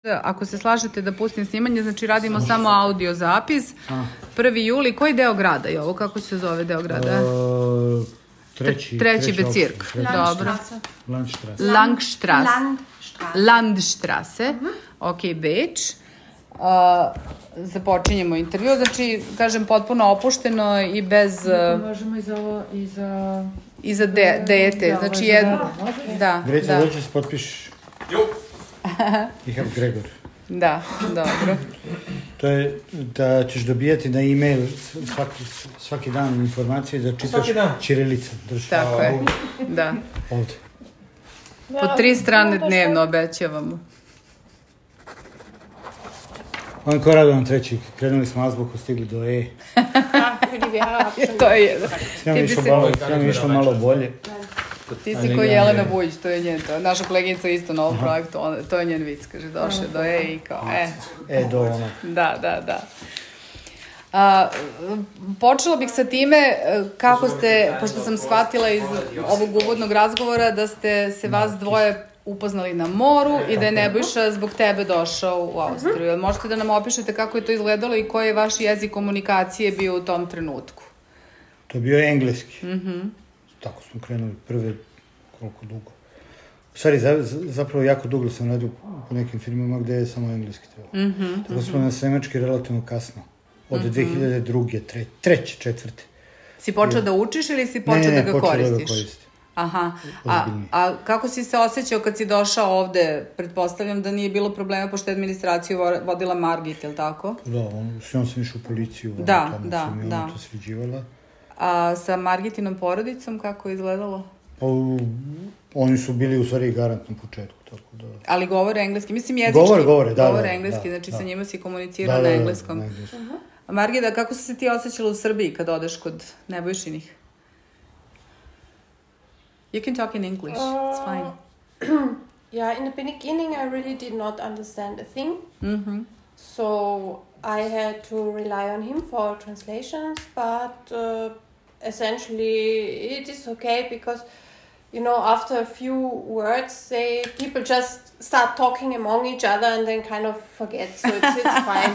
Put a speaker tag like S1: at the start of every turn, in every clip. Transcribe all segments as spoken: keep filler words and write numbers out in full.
S1: Ako se slažete da pustim snimanje, znači radimo samo audio zapis. prvi juli, koji deo grada je ovo? Kako se zove deo grada?
S2: Uh, treći.
S1: Treći Bezirk. Dobro.
S2: Landstrasse.
S1: Langstrasse. Landstrasse. Ok, Beč. Uh, započinjemo intervju, znači, kažem, potpuno opušteno i bez... Uh,
S3: možemo i za ovo, i za...
S1: I za de, dete, znači jedno... Da,
S2: Greca,
S1: da.
S2: dođe se potpišeš. Jo. I have Gregor.
S1: Da, dobro.
S2: To je da ćeš dobijati na e-mail svaki, svaki dan informacije da čitaš ćirilica.
S1: Tako je, da.
S2: Ovde.
S1: Po tri strane dnevno obećavamo.
S2: On ko radovan treći, krenuli smo azbuku, stigli do E.
S1: To je jedan.
S2: Sve mi išlo malo bolje.
S1: Ti si koji Jelena Vujić, to je njen, to je naša koleginica isto na ovom projektu, to je njen vic, kaže, došle do E i kao, e.
S2: E, do ono.
S1: Da, da, da. A, počela bih sa time kako ste, pošto sam shvatila iz ovog uvodnog razgovora da ste se vas dvoje upoznali na moru i da je Nebojša zbog tebe došao u Austriju. Možete da nam opišete kako je to izgledalo i koji je vaš jezik komunikacije bio u tom trenutku?
S2: To je bio engleski.
S1: Mhm.
S2: Tako smo krenuli prve, koliko dugo. U stvari, za, zapravo jako dugo sam radio po nekim filmima gde je samo engleski trebalo.
S1: Mm-hmm,
S2: Tako smo na nemački relativno kasno. Od mm-hmm. dve hiljade druge, tre, treće, četvrte.
S1: Si počeo ja. da učiš ili si počeo
S2: ne, ne,
S1: da ga koristiš?
S2: Ne, ne, počeo da ga koristim.
S1: Aha. A, a kako si se osjećao kad si došao ovde? Pretpostavljam da nije bilo problema pošto je administraciju vodila Margit, je li tako?
S2: Da, on, s njom sam išao u policiju.
S1: Da,
S2: tamo
S1: da,
S2: sam
S1: da.
S2: Ona to sviđivala.
S1: A sa Margitinom porodicom kako je izgledalo?
S2: Pa, oni su bili u stvari garant na početku, tako da...
S1: Ali govore engleski, mislim jezički.
S2: Govore, govore, da,
S1: govore
S2: da,
S1: engleski,
S2: da,
S1: znači
S2: da.
S1: sa njima si komunicirao
S2: da, da,
S1: na engleskom.
S2: Da, na engleskom.
S1: Uh-huh. A Margita, kako si se ti osjećala u Srbiji kad odeš kod Nebojšinih? You can talk in English, uh, it's fine.
S3: Yeah, in the beginning I really did not understand a thing.
S1: Mm-hmm.
S3: So I had to rely on him for translations, but uh, essentially it is okay because, you know, after a few words, they people just start talking among each other and then kind of forget. So it's, it's fine.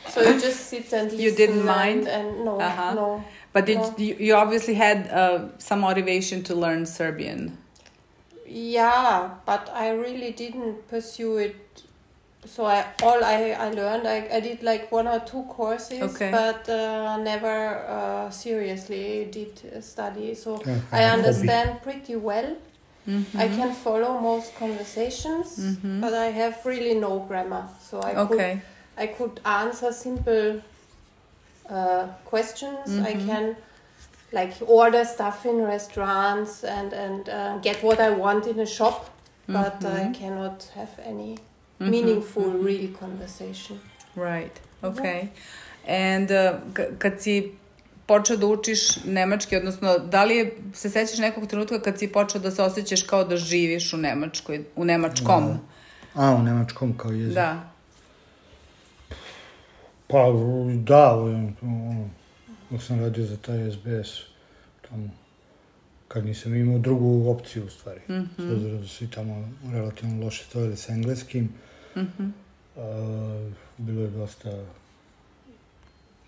S3: So you just sit and listen.
S1: You didn't mind?
S3: And, and no,
S1: uh-huh.
S3: no.
S1: But did
S3: no.
S1: you, you obviously had uh, some motivation to learn Serbian?
S3: Yeah, but I really didn't pursue it. So I, all I, I learned, I, I did like one or two courses,
S1: okay.
S3: but uh, never uh, seriously did study. So
S2: yeah,
S3: I understand hobby. pretty well.
S1: Mm-hmm.
S3: I can follow most conversations,
S1: mm-hmm.
S3: but I have really no grammar. So I
S1: okay.
S3: could I could answer simple uh, questions.
S1: Mm-hmm.
S3: I can like order stuff in restaurants and and uh, get what I want in a shop, but
S1: mm-hmm.
S3: I cannot have any mm-hmm. meaningful, mm-hmm. real conversation.
S1: Right. Okay. Yeah. And uh, k- kad si počeo da učiš nemački, odnosno da li je, se sećaš nekog trenutka kad si počeo da se osjećaš kao da živiš u Nemačkoj, u nemačkom?
S2: Da. A, u nemačkom kao jezik.
S1: Da.
S2: Pa, da, ono, dok sam radio za taj es be es, tamo, kad nisam imao drugu opciju, u stvari. Mm-hmm. S obzirom da su i tamo relativno loše stojili sa engleskim.
S1: Mm-hmm.
S2: Uh, bilo je dosta,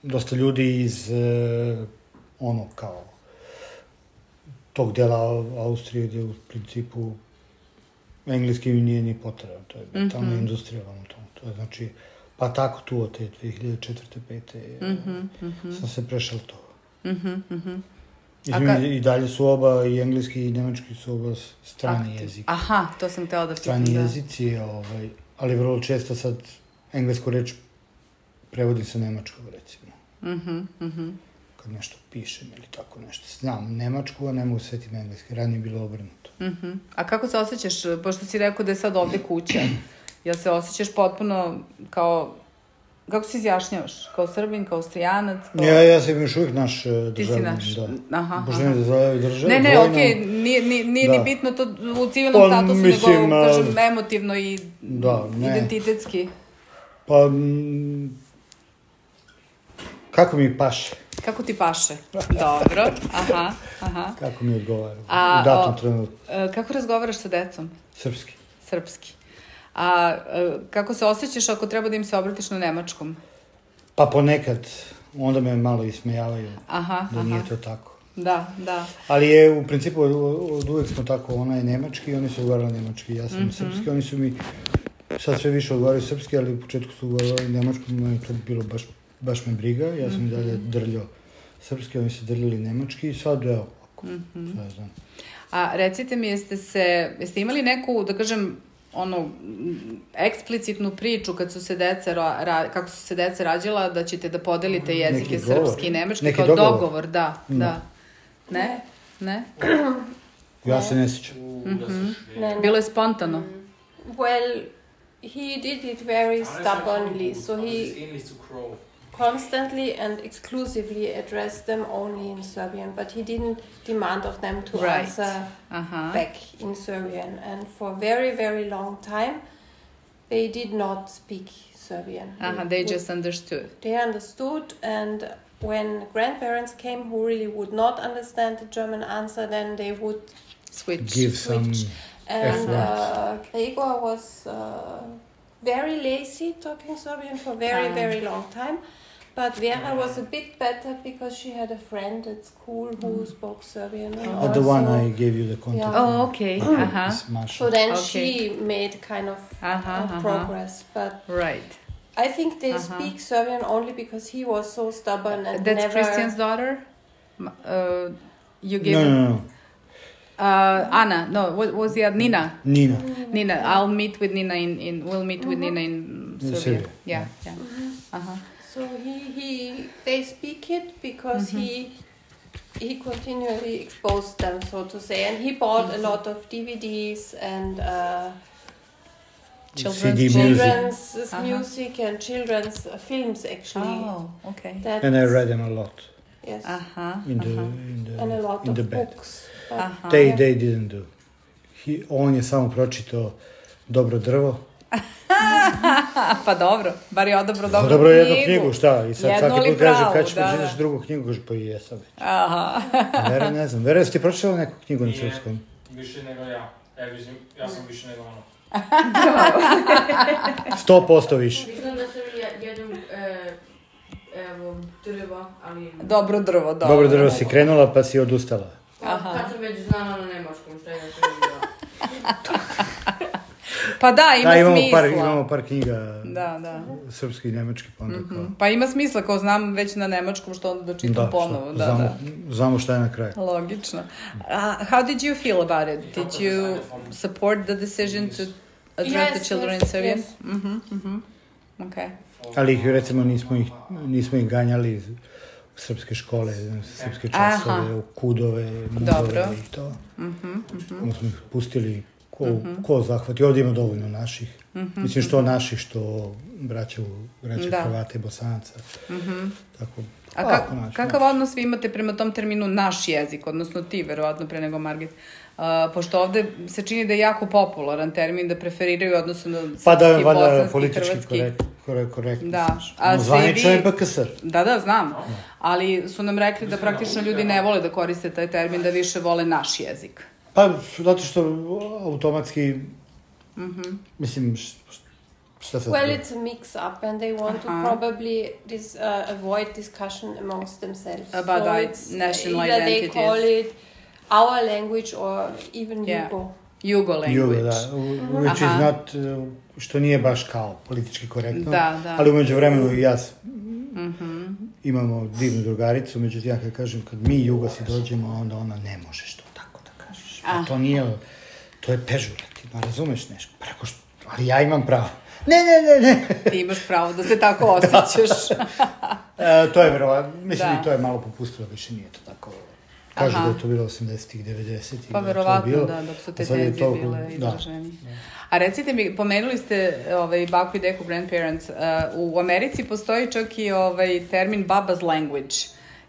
S2: dosta ljudi iz, uh, ono, kao, tog dela Austrije gdje u principu engleski nije ni potreban. To je mm-hmm. tamo industrija, ono, tamo. To je, znači, pa tako tu od te dve hiljade četvrte pete
S1: mm-hmm, mm-hmm.
S2: sam se prešao to.
S1: Mm-hmm, mm-hmm.
S2: Ka... I dalje su oba, i engleski i nemački su oba strani
S1: Aktiv.
S2: jezik.
S1: Aha, to sam htela da pitam.
S2: Strani
S1: da.
S2: jezici, ovaj, ali vrlo često sad englesku reč prevodim sa nemačkog, recimo.
S1: Mm-hmm, mm-hmm.
S2: Kad nešto pišem ili tako nešto. Znam nemačku, a ne mogu setim engleski. Ranije je bilo obrnuto.
S1: Mm-hmm. A kako se osjećaš, pošto si rekao da je sad ovde kuća, jel se osjećaš potpuno kao, kako se izjašnjavaš? Kao Srbin, kao Austrijanac? Kao...
S2: Ja, ja sam još uvijek naš državljan.
S1: Ti si naš,
S2: da.
S1: aha.
S2: Božanje da zove držav.
S1: Ne, ne,
S2: dvojno...
S1: okej, okay. nije, nije, nije
S2: da.
S1: ni bitno to u civilnom
S2: pa,
S1: statusu,
S2: mislim,
S1: nego, kažem, emotivno i
S2: da,
S1: identitetski.
S2: Pa, m, kako mi paše?
S1: Kako ti paše? Dobro, aha, aha.
S2: Kako mi odgovara
S1: A,
S2: u datom trenutku.
S1: Kako razgovaraš sa decom?
S2: Srpski.
S1: Srpski. A kako se osjećaš ako treba da im se obratiš na nemačkom?
S2: Pa ponekad, onda me malo ismejavaju
S1: aha,
S2: da
S1: aha.
S2: nije to tako.
S1: Da, da.
S2: Ali je, u principu, od, od uvek smo tako, ona je nemački, oni su ugovarali nemački, ja sam mm-hmm. srpski, oni su mi sad sve više odgovaraju srpski, ali u početku su ugovarali nemački, meni to bilo baš, baš me briga, ja sam mm-hmm. i dalje drljao srpski, oni su drljali nemački i sad, evo, ako, mm-hmm. sad znam.
S1: A recite mi, jeste se, jeste imali neku, da kažem, ono, eksplicitnu priču kad su se deca, ra, kako su se deca rađala, da ćete da podelite jezike srpski i nemački,
S2: neki
S1: kao
S2: dogovor.
S1: dogovor, da, no. da. Ne? Ne?
S2: Ja se ne sjećam.
S1: Mm-hmm. Bilo je spontano.
S3: Well, he did it very stubbornly, so he constantly and exclusively addressed them only in Serbian, but he didn't demand of them to
S1: right.
S3: answer
S1: uh-huh.
S3: back in Serbian. And for a very, very long time, they did not speak Serbian.
S1: Uh-huh. They just understood.
S3: They understood, and when grandparents came who really would not understand the German answer, then they would
S1: switch.
S2: Give
S3: switch.
S2: some
S3: and uh, Gregor was uh, very lazy talking Serbian for a very, uh. very long time. But Vera was a bit better because she had a friend at school who mm. spoke Serbian. And
S2: oh, the one I gave you the contact.
S1: Yeah. Oh, okay. uh-huh.
S3: So then
S1: okay.
S3: she made kind of
S1: uh-huh,
S3: uh,
S1: uh-huh.
S3: progress. But
S1: right.
S3: I think they
S1: uh-huh.
S3: speak Serbian only because he was so stubborn and
S1: That's
S3: never...
S1: Christian's daughter? Uh, you gave
S2: no,
S1: him...
S2: no, no.
S1: Uh, Anna, no, what was the other? Nina.
S2: Nina.
S1: Nina. I'll meet with Nina in, in we'll meet mm-hmm. with Nina in Serbia.
S2: Serbia.
S1: Yeah, yeah.
S3: Mm-hmm.
S1: Uh-huh.
S3: So he, he they speak it because mm-hmm. he he continually exposed them, so to say, and he bought mm-hmm. a lot of D V Ds and uh,
S1: children's,
S2: C D
S3: children's
S2: music.
S3: Uh-huh. music and children's uh, films actually.
S1: Oh, okay.
S3: That's,
S2: and I read them a lot.
S3: Yes.
S1: Uh-huh.
S2: In the
S1: uh-huh.
S2: in the
S3: and a lot
S2: in
S3: of
S2: the bed.
S3: books.
S1: Uh-huh.
S2: They they didn't do. He, on je samo pročitao Dobro drvo.
S1: Pa dobro, bar je odabro dobro
S2: Dobro
S1: knjigu.
S2: jednu knjigu, šta? I sad svaki put kaže, kad ćeš pročitaš drugu knjigu, kaže, pa i jesam već.
S1: Aha.
S2: Vera, ne znam. Vera, jesi ti pročitala neku knjigu na srpskom?
S4: Nije, više nego ja. Ja, vidim, ja sam više nego ono.
S2: Sto posto više.
S5: Mislim da sam jednom, e, evo, drvo, ali...
S1: Dobro drvo, dobro.
S2: Dobro drvo si krenula, pa si odustala.
S5: Aha. Kad sam već znala na nemačkom, šta je to bilo?
S1: Pa da, ima
S2: da, imamo
S1: smisla.
S2: Par, imamo par knjiga
S1: da, da.
S2: srpski i nemački, pa onda kao...
S1: Mm-hmm. Pa ima smisla, kao znam već na nemačkom što onda da čitam
S2: da,
S1: ponovo. Da,
S2: znamo,
S1: da.
S2: Znamo šta je na kraju.
S1: Logično. Uh, how did you feel about it? Did you support the decision to address
S3: yes,
S1: the children
S3: yes,
S1: in Serbian?
S3: Yes.
S1: Mm-hmm, mm-hmm. Okay.
S2: Ali ih, recimo, nismo ih, nismo ih ganjali iz srpske škole, srpske časove, aha. U kudove, mudove i to.
S1: Mm-hmm, mm-hmm.
S2: Onda smo ih pustili ko, mm-hmm. ko zahvati. Ovdje ima dovoljno naših. Mm-hmm. Mislim što naših, što braća, braća Hrvata i Bosanaca.
S1: Mm-hmm.
S2: Tako,
S1: a ka, naš, kakav naš. Odnos vi imate prema tom terminu naš jezik, odnosno ti, verovatno, pre nego Margit? Uh, pošto ovde se čini da je jako popularan termin, da preferiraju odnosno na srpski,
S2: pa da,
S1: bosanski,
S2: politički
S1: hrvatski.
S2: Korekt, korekt, korekt.
S1: Da.
S2: A no, zvanično je B K S.
S1: Da, da, znam. Ali su nam rekli da praktično ljudi ne vole da koriste taj termin, da više vole naš jezik.
S2: Pa, zato što automatski,
S1: mm-hmm.
S2: mislim, šta sad?
S3: Well, it's a mix-up and they want uh-huh. to probably dis, uh, avoid discussion amongst themselves.
S1: About
S3: so
S1: it's national
S3: either
S1: identities.
S3: They call it our language or even
S1: yeah.
S3: Yugo.
S1: Yugo language.
S2: Yugo, da. Which Aha. is not, uh, što nije baš kao politički korektno.
S1: Da, da.
S2: Ali umeđu vremenu i ja
S1: mm-hmm.
S2: imamo divnu drugaricu, međutim ja kad kažem, kad mi Jugosi dođemo, onda ona ne možeš to tako da kažeš. Pa to nije, to je pežurativno, razumeš nešto? Preko što, ali ja imam pravo. Ne, ne, ne, ne.
S1: Ti imaš pravo da se tako osjećaš.
S2: e, to je verovatno, mislim
S1: da.
S2: I to je malo popustilo, više nije to tako. Kažu Aha. da je to bilo osamdesetih, devedesetih.
S1: Pa verovatno, da, dok su te tenzije to... bile izraženi. Da, da. A recite mi, pomenuli ste ovaj, baku i deku grandparents, uh, u Americi postoji čak i ovaj, termin baba's language.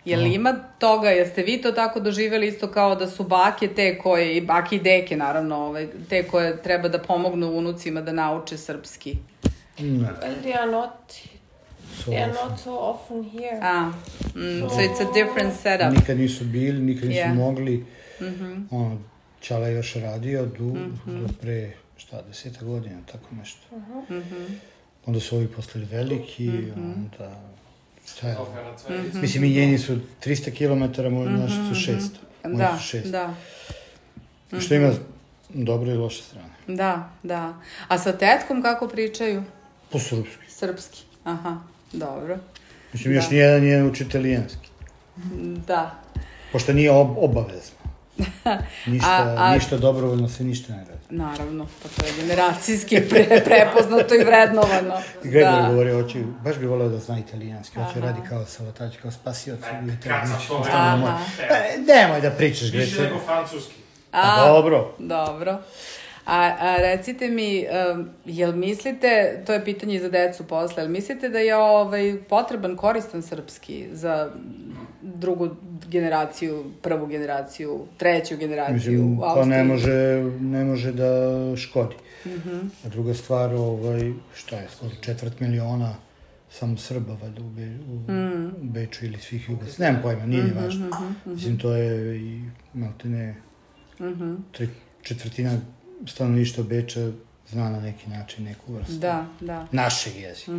S1: Je li ima toga, jeste vi to tako doživjeli isto kao da su bake te koje, i bake i deke naravno, ovaj, te koje treba da pomognu unucima da nauče srpski?
S2: Ne.
S3: Well, they are not... So they are not so often here.
S1: Ah, mm, so, so it's a different setup.
S2: Nikad nisu bili, nikad nisu
S1: yeah.
S2: mogli.
S1: Mm-hmm.
S2: Ono, Čala je još radio du, mm-hmm. do pre šta, deseta godina, tako nešto.
S3: Mhm.
S1: Mhm.
S2: Onda su ovi postali veliki, onda... Šta je?
S4: Mhm.
S2: Mislim, i njeni su tristo kilometara, moji naši su šesto. Moji
S1: Da,
S2: su šest.
S1: da.
S2: Što ima dobre i loše strane.
S1: Da, da. A sa tetkom kako pričaju?
S2: Po srpski.
S1: Srpski. Aha, dobro.
S2: Mislim, još
S1: Da.
S2: nijedan nije uči italijanski.
S1: Da.
S2: Pošto nije ob obavezno. Ništa,
S1: A- a-
S2: ništa dobrovoljno se ništa ne radi.
S1: Naravno, pa to je generacijski pre, prepoznato i vrednovano.
S2: I Gregor
S1: Da.
S2: govori, hoće, baš bi voleo da zna italijanski, hoće
S1: Aha.
S2: radi kao salatač, kao spasioci u
S4: Kaca
S2: italijanski.
S4: to,
S1: Aha.
S2: E, nemoj da pričaš,
S4: Više
S2: Grece.
S4: nego francuski.
S2: A, dobro.
S1: Dobro. A, a recite mi, um, jel mislite, to je pitanje i za decu posle, jel mislite da je ovaj, potreban, koristan srpski za drugu generaciju, prvu generaciju, treću generaciju
S2: Mislim,
S1: u
S2: pa
S1: Austriji?
S2: ne može, ne može da škodi. A druga stvar, ovaj, šta je, skoro četvrt miliona samo Srba, valjda, u, Be, u, u Beču ili svih Jugoslav. Nemam pojma, nije ni važno. Mislim, to je i, maltene, tre, četvrtina stanovništva Beča zna na neki način neku vrstu.
S1: Da, da.
S2: Našeg jezika.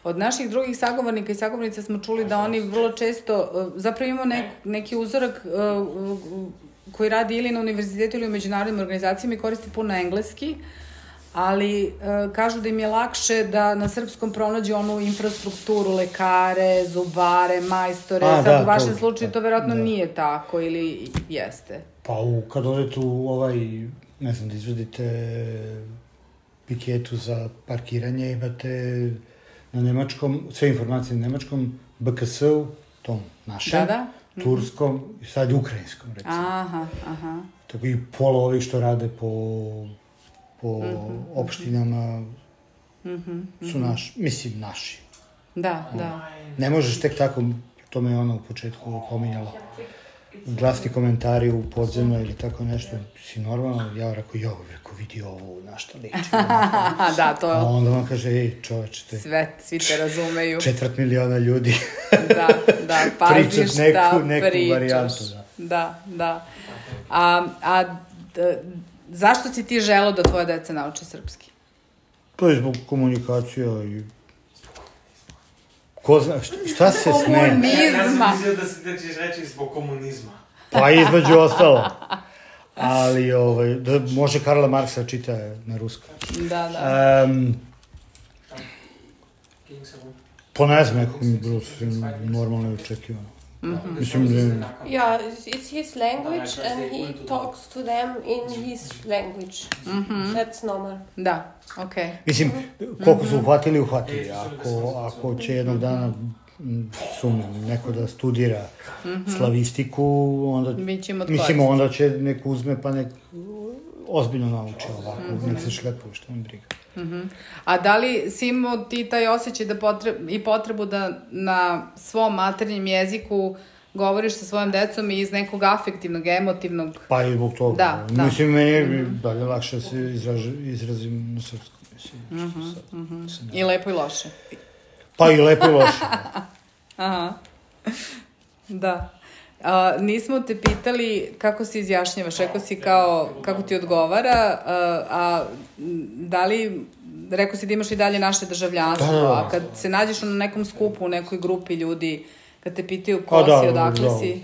S1: Od naših drugih sagovornika i sagovornica smo čuli da oni vrlo često, uh, zapravo imamo nek, neki uzorak uh, uh, koji radi ili na univerzitetu ili u međunarodnim organizacijama i koristi puno engleski, ali uh, kažu da im je lakše da na srpskom pronađu onu infrastrukturu, lekare, zubare, majstore.
S2: A,
S1: Sad
S2: da,
S1: u vašem
S2: to-
S1: slučaju to verovatno
S2: da.
S1: nije tako ili jeste.
S2: Pa u, kad odete u ovaj, ne znam, da izvedite piketu za parkiranje, imate na nemačkom, sve informacije na nemačkom, B K S-u, tom našem,
S1: Da, da.
S2: turskom i sad ukrajinskom, recimo.
S1: Aha, aha.
S2: Tako i pola ovih što rade po, po opštinama su naši, mislim naši.
S1: Da, da.
S2: Ne možeš tek tako, to me je ona u početku pominjala, glasni komentari u podzemno ili tako nešto, si normalno, ja rekao, jo, rekao, vidi ovo, na šta liči.
S1: Aha, da, to
S2: A
S1: je
S2: onda on kaže, ej, čoveče, te
S1: sve, svi te razumeju.
S2: četvrt miliona ljudi
S1: Da, da, pazi
S2: pričat
S1: šta
S2: neku, neku
S1: pričaš.
S2: varijantu. Da.
S1: Da, da. A, a d, zašto si ti želeo da tvoja deca nauče srpski?
S2: To je zbog komunikacija i... Ko zna, šta, šta se smeje?
S1: Komunizma.
S4: Ja sam mislio da, si, da ćeš reći zbog komunizma.
S2: Pa između ostalo. Ali, ovaj, da može Karla Marksa čita na ruskom.
S1: Da, da.
S2: Um, po ne znam, nekako mi je bilo sve normalno i očekivano. Mislim, da...
S3: Yeah, it's, it's his language and he talks to them in his language. That's normal.
S1: Da, okej.
S2: Mislim, koliko su uhvatili, uhvatili. Ako, ako će jednog dana, m, sumnjam, neko da studira slavistiku, onda...
S1: Mi ćemo od
S2: Mislim,
S1: koristi.
S2: onda će nek uzme pa nek ozbiljno nauči ovako, nek se šlepuje, što mi briga.
S1: A da li si imao ti taj osjećaj da potreb, i potrebu da na svom maternjem jeziku govoriš sa svojom decom i iz nekog afektivnog, emotivnog...
S2: Pa i zbog toga.
S1: Da, da.
S2: Mislim, meni je dalje lakše da se izraž, izrazim na srpskom. Mislim, što sad, se ne-
S1: I lepo i loše.
S2: Pa i lepo i loše.
S1: Aha. Da. A, nismo te pitali kako se izjašnjavaš, rekao si kao, kako ti odgovara, a, a m, da li, rekao si da imaš i dalje naše državljanstvo,
S2: Da, da, da.
S1: a kad se nađeš na nekom skupu, u nekoj grupi ljudi, kad te pitaju ko
S2: A da,
S1: si, odakle
S2: da.
S1: si,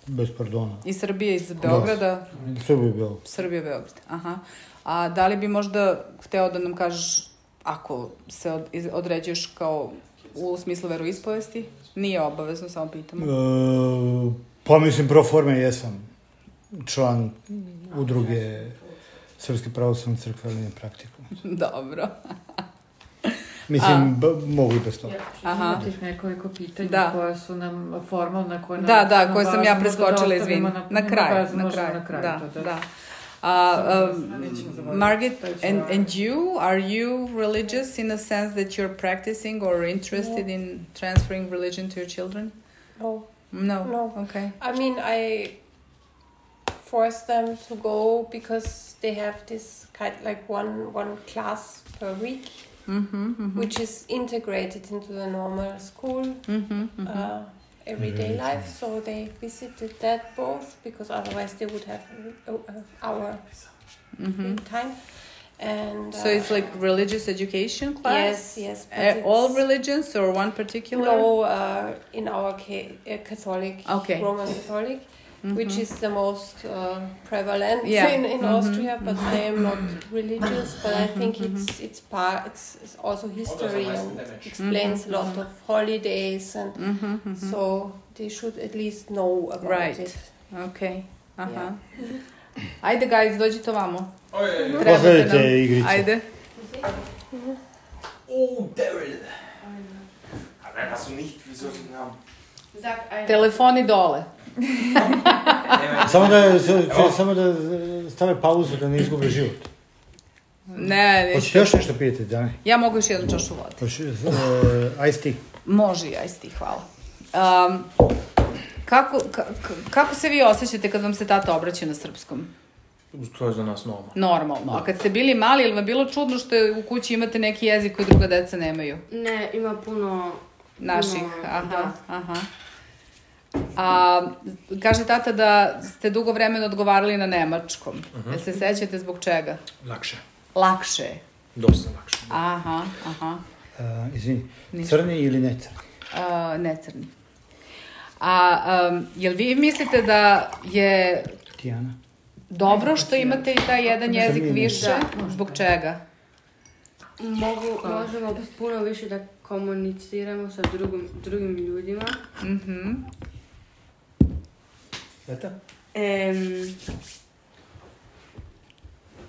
S2: Bez pardona.
S1: iz Srbije, iz Beograda,
S2: Sve bi bilo.
S1: Srbija, Beograd, aha. A da li bi možda hteo da nam kažeš, ako se od, iz- određuješ kao u smislu veroispovesti, nije obavezno, samo pitamo.
S2: E, pa mislim, pro forme jesam član udruge Srpske pravoslavne crkve, ali ne praktikujem.
S1: Dobro.
S2: Mislim, b, mogu i bez toga.
S1: Aha.
S6: Ima tih nekoliko pitanja
S1: Da.
S6: koja su nam formalna, koja nam
S1: Da, da,
S6: su
S1: koje sam ja
S6: važno,
S1: preskočila,
S6: možda da
S1: izvini.
S6: ostavimo
S1: Na
S6: nema
S1: kraju,
S6: veze,
S1: na
S6: možemo
S1: kraju.
S6: na kraju
S1: Da,
S6: to,
S1: da. Uh, um,
S6: Nećemo zaboraviti.
S1: Margit,
S6: To je
S1: and,
S6: svoje.
S1: and you, are you religious in a sense that you're practicing or interested in transferring religion to your children?
S3: No.
S1: No.
S3: No.
S1: Okay.
S3: I mean, I force them to go because they have this kind like one one class per week,
S1: Mm-hmm, mm-hmm,
S3: which is integrated into the normal school
S1: mm-hmm, mm-hmm.
S3: uh, everyday
S2: Mhm.
S3: life. So they visited that both because otherwise they would have uh, uh, our
S1: mm-hmm.
S3: free time. And uh,
S1: So it's like religious education class?
S3: yes, yes. but
S1: Uh, all
S3: it's-
S1: religions or one particular?
S3: No, uh, in our ca- uh, Catholic,
S1: Okay.
S3: Roman Catholic, which is the most uh, prevalent
S1: Yeah.
S3: in, in
S1: Mhm.
S3: Austria. But I am not religious. But I think it's it's part. It's, it's also history and explains a lot of holidays, and
S1: Mhm, mhm.
S3: so they should at least know about
S1: Right.
S3: it.
S1: Ok, aha. Ajde, guys, dođite ovamo.
S4: Oj, oj, oj.
S1: Trebate
S2: Pogledajte
S1: nam.
S2: igrice.
S1: Ajde.
S4: Oh, Daryl. Aber hast du nicht, wie soll ich den haben?
S5: Sag ein.
S1: Telefoni dole.
S2: Samo da, sa- samo da stave pauzu da ne izgube život.
S1: Ne, ne.
S2: Hoćete još nešto pijeti, Dani?
S1: Ja mogu još jednu čašu vode.
S2: Hoće, uh, ice tea.
S1: Može i ajsti, hvala. Um, kako, ka, kako se vi osjećate kad vam se tata obraća na srpskom?
S7: To je za nas normalno.
S1: Normalno. A kad ste bili mali, ili vam bilo čudno što u kući imate neki jezik koji druga deca nemaju?
S5: Ne, ima puno...
S1: Naših,
S5: puno,
S1: aha,
S5: da.
S1: aha. A, kaže tata da ste dugo vremena odgovarali na nemačkom.
S7: Mhm.
S1: Jel se sećate zbog čega?
S7: Lakše.
S1: Lakše je.
S7: Dosta lakše.
S1: Aha, aha.
S2: Uh, izvini,
S1: Ništa.
S2: crni ili ne crni?
S1: A, ne crni. A um, jel vi mislite da je
S2: Tijana?
S1: dobro što imate i taj jedan jezik
S2: Crni, ne.
S1: više?
S5: Da.
S1: Zbog čega?
S5: Mogu, možemo puno više da komuniciramo sa drugim, drugim ljudima.
S1: Mhm.
S7: Eto?
S5: Em,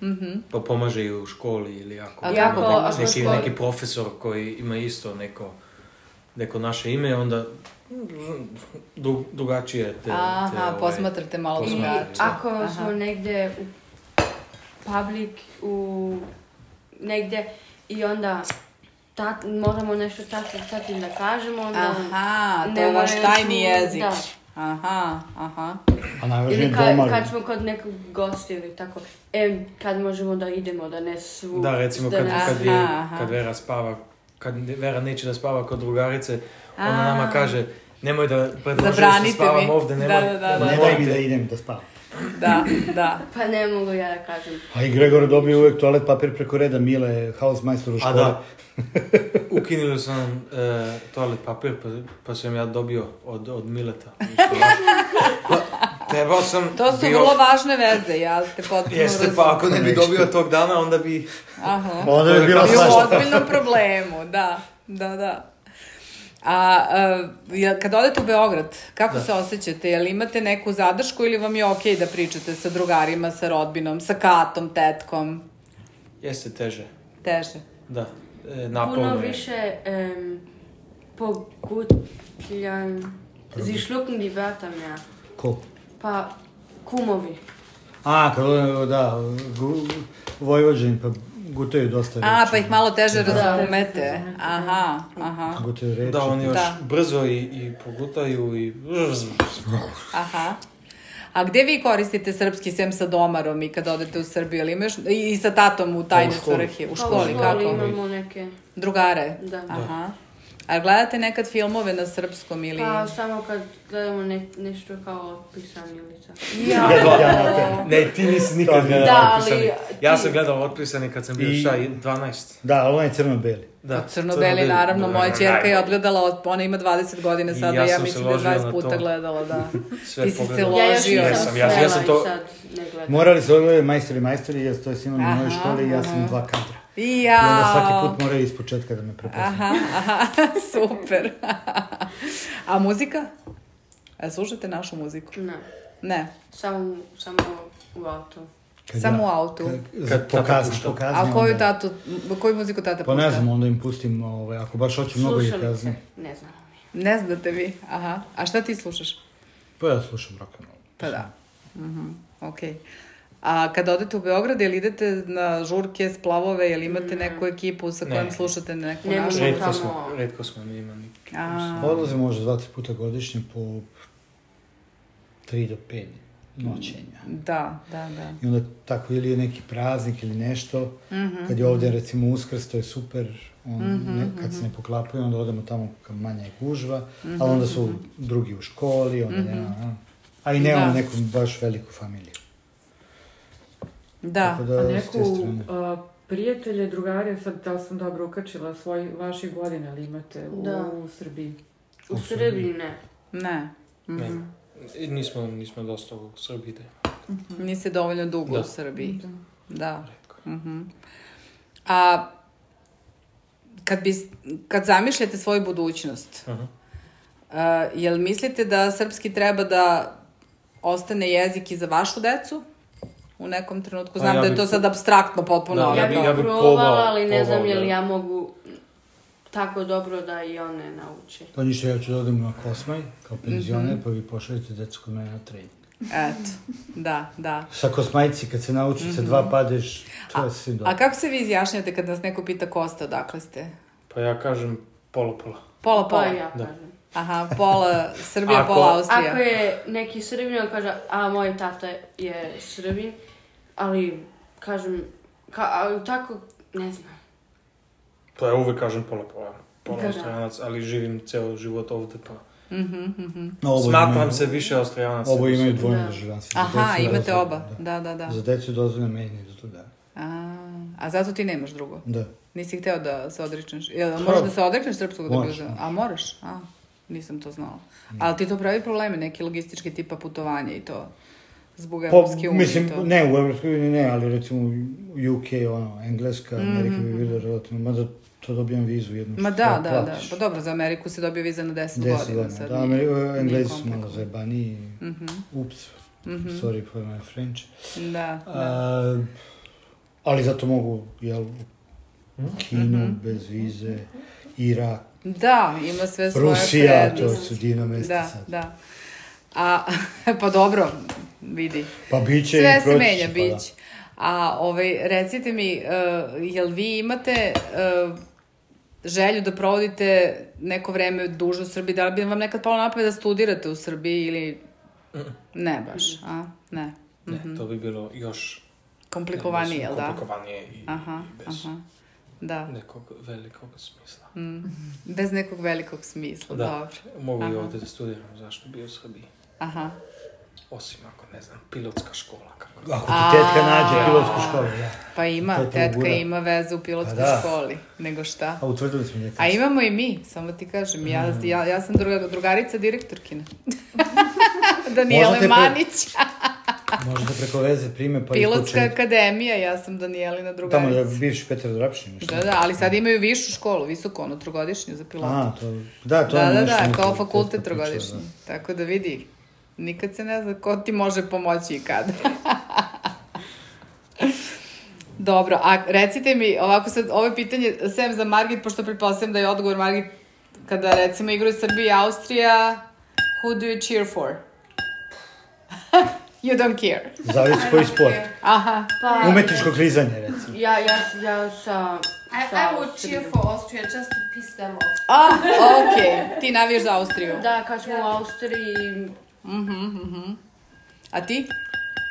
S1: Mhm.
S7: Pa pomaže i u školi ili ako...
S1: A
S5: I
S1: kako
S5: ako-
S1: pomaže?
S5: ako
S7: Neki,
S5: smo-
S7: neki profesor koji ima isto neko, neko naše ime, onda dru, drugačije te... te
S1: Aha,
S7: ovaj,
S1: posmatrate malo
S5: I
S1: drugačije.
S5: ako
S1: Aha.
S5: smo negdje u public, u negdje i onda tat, moramo nešto tati, tati da kažemo, onda...
S1: Aha, to
S5: ne
S1: je vaš
S5: moraju
S1: tajni
S5: ču-
S1: jezik.
S5: Da.
S1: Aha, aha.
S2: A najvažnije
S5: Ili kad,
S2: doma.
S5: kad smo kod nekog gosta ili tako, e, kad možemo da idemo, da ne svu...
S7: Da, recimo
S5: da
S7: kad,
S5: ne-
S7: kad, je,
S1: Aha, aha.
S7: kad Vera spava, kad Vera neće da spava kod drugarice, ona
S1: A.
S7: nama kaže nemoj da predložiš da
S1: Zabranite
S7: spavam
S1: mi.
S7: ovdje, nemoj,
S1: Da, da, da,
S7: nemoj
S2: Ne
S1: da.
S2: daj mi
S7: te-
S2: da idem da spavam.
S1: Da, da.
S5: Pa ne mogu ja da kažem.
S2: A i Gregor dobio uvek toalet papir preko reda Mile, hausmajstor u
S7: A
S2: školi.
S7: da, ukinuli su nam e, toalet papir, pa, pa sam ja dobio od, od Mileta. Pa, trebao sam...
S1: To su
S7: bio-
S1: vrlo važne veze, ja te potpuno
S7: Jeste, pa ako ne bi dobio tog dana, onda bi...
S1: Aha.
S2: Onda bi bila
S1: I u
S2: svašta.
S1: ozbiljnom problemu, da, da, da. A, a jel- kad odete u Beograd, kako se osjećate? Jel imate neku zadršku ili vam je okej da pričate sa drugarima, sa rodbinom, sa katom, tetkom?
S7: Jeste teže,
S1: Teže.
S7: da. E, naporno
S5: Puno
S7: je.
S5: više um, pogutljan... Sie schlucken die Wörter mehr.
S2: Ko?
S5: Pa kumovi.
S2: A, kad odem, da, gu, Vojvođani, pa gutaju dosta reči.
S1: A, pa ih malo teže
S5: Da.
S1: razumete. Aha, aha,
S2: Gutaju reči.
S7: Da, oni još
S1: Da.
S7: brzo i, i pogutaju i...
S1: aha. A gde vi koristite srpski sem sa domarom i kad odete u Srbiju? Ili imaš, i, I sa tatom u tajne
S2: Pa u školi.
S1: svrhe? U
S5: Pa
S1: školi,
S5: u
S1: kako?
S5: školi imamo neke...
S1: Drugare?
S5: Da.
S1: Aha. A gledate nekad filmove na srpskom ili...
S5: Pa samo kad gledamo ne, nešto kao pisanilica.
S7: Ne, ti nisi nikad
S2: Da,
S7: gledao
S5: ali
S7: otpisani.
S5: ti-
S7: Ja sam gledao otpisani kad sam bio
S2: I-
S7: šta, dvanaest.
S2: Da, ali on je crno-beli.
S7: Da,
S1: Crno-beli, naravno, moja ćerka je odgledala, od- ona ima dvadeset godina
S7: I
S1: sada,
S7: ja
S1: ja,
S7: sam se
S1: mislim da je
S7: ložio
S1: dvadeset
S7: na
S1: puta
S7: to.
S1: gledala, da.
S7: Sve
S1: Ti si se
S7: pogledao.
S1: ložio.
S5: Ja još nisam
S7: Jesam, ja- ja sam
S5: smela
S7: to-
S5: i sad ne gledam.
S2: Morali su odgledati majstori, majstori, jer to je s njima na mojoj
S1: Aha,
S2: školi i ja sam
S1: aha.
S2: dva kadra.
S1: I
S2: I onda svaki
S1: jao.
S2: put moraju iz početka da me prepoznaju.
S1: Aha, aha, super. A muzika? A slušate našu muziku?
S5: Ne,
S1: Ne,
S5: samo, samo u autu.
S2: Kad
S1: samo
S2: ja-
S1: u autu.
S2: Kad,
S7: Kad
S2: po
S7: tata
S2: kazni,
S7: pušta.
S2: po kazni,
S1: A koju
S2: onda-
S1: tatu, koju muziku tata
S2: Pa ne
S1: pušta?
S2: znam, onda im pustim, ovaj, ako baš hoću mnogo ih
S5: Slušalice,
S2: kazni.
S5: ne znam.
S1: Ne znate vi, aha. A šta ti slušaš?
S2: Pa ja slušam rock and roll.
S1: Pa da. Mhm, okej. A kad odete u Beograd, jel idete na žurke, splavove, jel imate neku ekipu sa kojom
S7: Ne.
S1: slušate neku
S5: Ne
S1: našu?
S5: mogu.
S7: Redko
S5: Tamo-
S7: smo, redko smo mi imali.
S1: A,
S2: Odlazim možda dva, tri puta godišnje po tri do pet noćenja.
S1: da, da, da.
S2: I onda tako ili je neki praznik ili nešto,
S1: Mhm.
S2: kad je ovdje recimo Uskrs, to je super, on, ne, kad se ne poklapaju, onda odemo tamo kad manja je gužva,
S1: Mhm.
S2: ali onda su drugi u školi, onda nema, a, a i nemamo
S1: Da.
S2: neku baš veliku familiju.
S1: Da.
S2: Tako da,
S6: A
S2: s te
S6: neku
S2: strane.
S6: uh, prijatelje, drugare, sad da li sam dobro ukačila, svoj, vaših godina ali imate u,
S5: Da.
S6: u Srbiji?
S5: U Srbiji ne.
S1: Ne.
S7: Ne. I nismo, nismo dosta u Srbiji. Da.
S1: Niste dovoljno dugo
S7: Da.
S1: u Srbiji.
S6: Da.
S1: Da. Mhm. A kad, bi, kad zamišljate svoju budućnost,
S7: Aha.
S1: a, jel mislite da srpski treba da ostane jezik i za vašu decu? U nekom trenutku. Znam
S7: A ja
S1: da je
S7: bi-
S1: to sad apstraktno potpuno.
S7: Da,
S1: ali
S5: Ja
S7: bi-
S5: bih
S1: kao-
S7: bi
S5: provala,
S7: probao-
S5: ali ne znam
S7: probao,
S5: je li
S7: da.
S5: ja mogu tako dobro da i one nauče.
S2: Pa ništa, ja ću da odem na Kosmaj, kao penzioner, pa vi pošaljete decu kod mene na trening.
S1: Eto, da, da.
S2: Sa Kosmajci, kad se nauči sa dva padeš, to je svim dobro.
S1: A kako se vi izjašnjate kad nas neko pita Kosta, odakle ste?
S7: Pa ja kažem pola-pola.
S1: Pola, pola.
S5: Pa ja
S7: Da.
S5: kažem.
S1: Aha, pola Srbija,
S7: Ako-
S1: pola Austrija.
S5: Ako je neki Srbin, on kaže, a moj tata je Srbin, ali kažem, ka, ali tako, ne znam.
S7: Pa ja uvek kažem pola-pola. Pola
S5: Da.
S7: Australianac, ali živim ceo život ovde, pa
S1: Mhm, mhm.
S2: No, oboje
S7: smatram
S2: imaju-
S7: se više Australijanac.
S2: Oboje imaju dvojno
S5: Da.
S2: državljanstvo. Za
S1: Aha,
S2: decu je
S1: imate
S2: dozvoljeno,
S1: oba. Da, da, da.
S2: Za decu je dozvoljeno, meni nije dozvoljeno.
S1: A, a zato ti nemaš drugo?
S2: Da.
S1: Nisi hteo da se odričneš? Jel, možeš da se odrekneš srpskog da bi
S2: Moraš,
S1: uzeo?
S2: moraš.
S1: A moraš? A, nisam to znala. Ali ti to pravi probleme, neki logistički tipa putovanja i to zbog
S2: Pa,
S1: Evropske unije
S2: mislim,
S1: i to.
S2: ne, u Evropskoj uniji ne, ali recimo u U K, ono, Engleska, Amerika bi bilo relativno, mada to dobijam vizu jednu.
S1: Mhm. Ma
S2: što
S1: da, da, da.
S2: platiš.
S1: Pa dobro, za Ameriku se dobije viza na deset,
S2: Deset
S1: godina.
S2: godina,
S1: Sad
S2: da,
S1: nije-
S2: Ameri-
S1: nije
S2: Englezi su malo
S1: komplikovano.
S2: zajebaniji,
S1: Mhm,
S2: ups,
S1: mhm.
S2: sorry for my French.
S1: Da, da.
S2: A, ali zato mogu, jel, u Kinu,
S1: Mhm.
S2: bez vize, Irak,
S1: Da, ima sve svoje
S2: Rusija, to
S1: prednosti.
S2: su divna mesta
S1: Da,
S2: sad.
S1: da. A, pa dobro, vidi.
S2: Pa biće
S1: Sve
S2: i
S1: se
S2: proći
S1: menja,
S2: će, pa da.
S1: bić. A ovaj, recite mi, uh, jel vi imate uh, želju da provodite neko vreme duže u Srbiji? Da li bi vam nekad palo na pamet da studirate u Srbiji ili... Ne baš, a? Ne.
S7: Ne, to bi bilo još
S1: Komplikovanije, jel da?
S7: komplikovanije i,
S1: Aha,
S7: i bez
S1: aha. Da,
S7: nekog velikog smisla.
S1: bez nekog velikog smisla,
S7: Da.
S1: dobro.
S7: Mogu i
S1: Aha.
S7: ovde da studiram, zašto bi u Srbiji?
S1: Aha.
S7: Osim ako, ne znam, pilotska škola. Kako.
S2: Ako ti tetka nađe pilotsku školu, da.
S1: Pa ima,
S2: To je to
S1: tetka
S2: gura.
S1: ima veze u pilotskoj
S2: Pa da.
S1: školi, nego šta?
S2: A utvrdili smo njega.
S1: A imamo i mi, samo ti kažem, ja, ja, ja sam druga, drugarica direktorkina. Danijele
S2: Možete pre-
S1: Manić.
S2: Možete preko veze prime, pa
S1: Pilotska
S2: ispočeti.
S1: akademija, ja sam Danijelina
S2: Tamo
S1: drugarica.
S2: je bivši Petar Drapšin.
S1: Da, da, ali sad imaju višu školu, visoko, ono, trogodišnju za pilota.
S2: A, to, da, to
S1: Da,
S2: je
S1: da,
S2: nešto
S1: da,
S2: neko
S1: kao
S2: tetka
S1: fakultet
S2: pričala,
S1: trogodišnji.
S2: da.
S1: Tako da vidi, nikad se ne zna ko ti može pomoći i kada. Dobro, a recite mi, ovako sad, ovo je pitanje, sem za Margit, pošto pretpostavljam da je odgovor Margit, kada recimo igraju Srbija i Austrija, who do you cheer for? You don't care.
S2: Zavisi koji sport.
S1: Aha.
S5: Pa,
S2: Umetničko klizanje, recimo.
S5: ja, ja, ja sa...
S3: I,
S5: sa
S3: I would cheer
S5: Austrijom.
S3: for Austria just to piss them off.
S1: A, okej, ti navijaš za Austriju.
S5: Da, kad smo u Austriji,
S1: Mhm, mhm. A ti?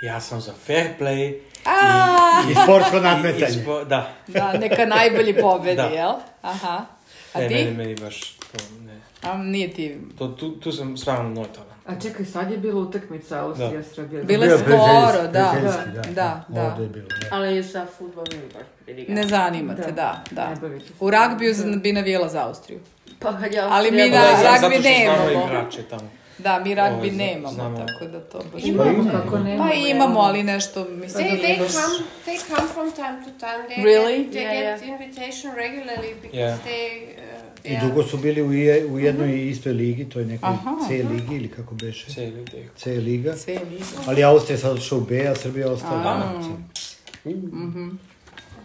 S7: Ja sam za fair play
S1: A,
S2: I sportsko
S7: i, i
S2: nadmetanje.
S7: spo- da.
S1: da, neka najbolji pobedi,
S7: Da.
S1: jel? Aha. A
S7: Ne,
S1: ti?
S7: meni, meni baš to ne.
S1: A, nije ti.
S7: To, tu, tu sam stvarno neutralan.
S6: A čekaj, sad je bila utakmica Austrija-Srbija.
S1: Bila je
S2: Bio
S1: skoro,
S2: prijateljski,
S1: da.
S2: prijateljski,
S1: Da, da.
S2: Ovde je bilo, da.
S5: ali sa futbolom baš briga.
S1: Ne zanima te, da, da.
S6: Ne bavite se.
S1: U ragbiju bi navijela za Austriju.
S5: Pa kad je
S1: Ali mi
S5: Austrija
S1: na-
S5: bila-
S7: za-
S1: ragbi
S7: zato što znamo
S1: nemamo.
S7: igrače tamo.
S1: Da, mi ragbi
S7: Ovo je, zna-
S1: nemamo,
S7: znamo.
S1: tako da to baš...
S6: Imamo, kako ne?
S1: Pa imamo, ali nešto, mislim da
S3: They,
S1: nije
S3: they
S1: baš...
S3: come they come from time to time. They
S1: Really?
S3: get, they
S5: Yeah,
S3: get invitation regularly because
S7: Yeah.
S3: they uh,
S2: I
S3: yeah.
S2: dugo su bili u, je, u jednoj istoj ligi, to je nekoj
S1: Aha,
S2: C ligi ili kako beše,
S7: Cijeli ide.
S2: C liga.
S1: Sve nisam.
S2: Ali Austrija sad odšao u B, a Srbija ostala
S1: A.
S2: u C.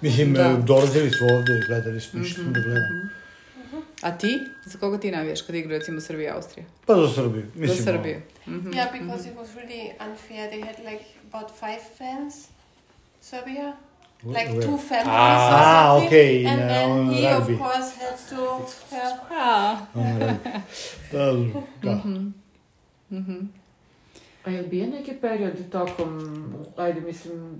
S2: Mislim,
S1: Da.
S2: e, dolazili su ovde, gledali smo, išli smo da gledamo.
S1: A ti? Za koga ti navijaš kad igra recimo Srbija i Austrija?
S2: Pa za Srbiju. Mislim,
S1: Za Srbiju.
S3: Yeah, because it was really unfair. They had like about five fans, Serbia, like
S2: where?
S3: two families
S7: Ah,
S3: or something.
S2: okay, in,
S3: and
S2: uh,
S3: then
S2: on
S3: he
S2: rugby.
S3: of course had to. Yeah.
S1: A,
S2: Ono, da, da.
S6: A je li bio neki period tokom, ajde mislim,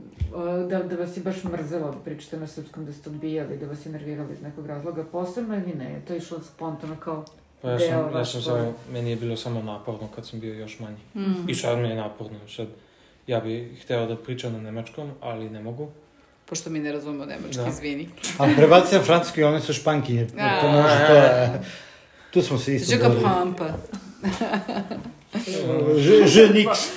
S6: da, da vas je baš mrzelo da pričate na srpskom, da ste odbijali, da vas je nervirali iz nekog razloga posebno ili ne? To je išlo spontano kao
S7: Pa ja
S6: deo
S7: sam, ja
S6: vaš
S7: sam
S6: svoj-
S7: samo, meni je bilo samo naporno kad sam bio još manji.
S1: Mhm.
S7: I sad mi je naporno. Sad, ja bih hteo da pričam na nemačkom, ali ne mogu.
S1: Pošto mi ne razumemo nemački,
S7: Da.
S1: izvini.
S2: A prebaci na francuski, one su špankinje.
S1: A.
S2: To može, to je... Tu smo se isto
S1: Je
S2: borili.
S1: comprends pas.
S2: Je, je nix.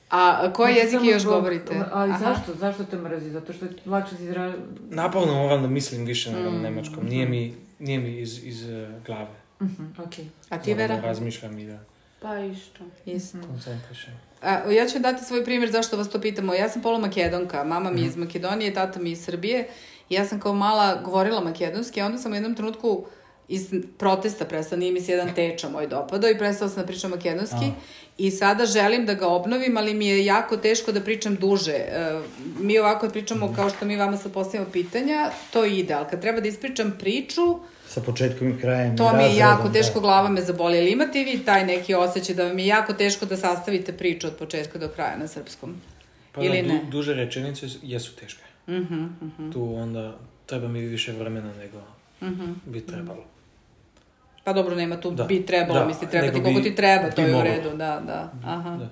S1: A koji jezik
S6: Samo
S1: još
S6: zbog-
S1: govorite?
S6: Ali
S1: Aha.
S6: zašto? Zašto te mrazi? Zato što lakše si izra...
S7: Naporno moram da mislim više nego na
S1: Mm.
S7: nemačkom. Nije mi, nije mi iz, iz uh, glave.
S6: Mhm, okej.
S1: A ti,
S7: Moram da
S1: Vera?
S7: razmišljam i da
S5: Pa isto.
S1: Isto.
S7: koncentrišem.
S1: A, ja ću dati svoj primjer zašto vas to pitamo. Ja sam polumakedonka, mama mi je iz Makedonije, tata mi je iz Srbije. I ja sam kao mala govorila makedonski, a onda sam u jednom trenutku iz protesta prestala, nije mi se jedan teča moj dopadao i prestala sam da pričam makedonski. I sada želim da ga obnovim, ali mi je jako teško da pričam duže. E, mi ovako pričamo kao što mi vama sad postavimo pitanja, to ide, ali kad treba da ispričam priču,
S2: Sa početkom i krajem.
S1: to mi je
S2: razredom,
S1: jako teško,
S2: da.
S1: glava me zaboli. Ali imate vi taj neki osjećaj da vam je jako teško da sastavite priču od početka do kraja na srpskom?
S7: Pa
S1: Ili
S7: da,
S1: ne?
S7: du, duže rečenice jesu teške.
S1: Mhm, mhm,
S7: Tu onda treba mi više vremena nego
S1: mhm.
S7: bi trebalo.
S1: Pa dobro, nema tu
S7: Da.
S1: bi trebalo,
S7: Da,
S1: misli treba ti
S7: nego
S1: koliko
S7: bi-
S1: ti treba, to
S7: bi
S1: je u
S7: moglo.
S1: redu, da, da, aha.
S7: Da.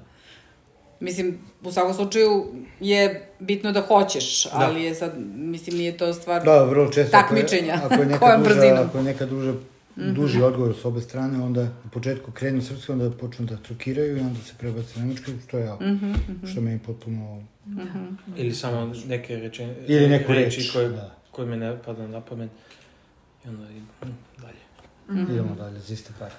S1: Mislim, u svakom slučaju je bitno da hoćeš, ali je sad, mislim, nije to stvar...
S2: Da, vrlo često. ako je-
S1: Takmičenja.
S2: Ako je neka
S1: Kojom
S2: duža,
S1: brzinom?
S2: ako je neka duža, duži odgovor s obe strane, onda u početku krenu srpski, onda počnu da trukiraju i onda se prebaci na nemački, što je jako,
S1: Mhm, mhm,
S2: što meni potpuno...
S1: mhm.
S7: Ili samo neke reče,
S2: Ili neku
S7: reči
S2: reč,
S7: koje,
S2: da.
S7: koje mi ne pada na pamet. I onda idem hm, dalje.
S2: Idemo dalje, za iste par.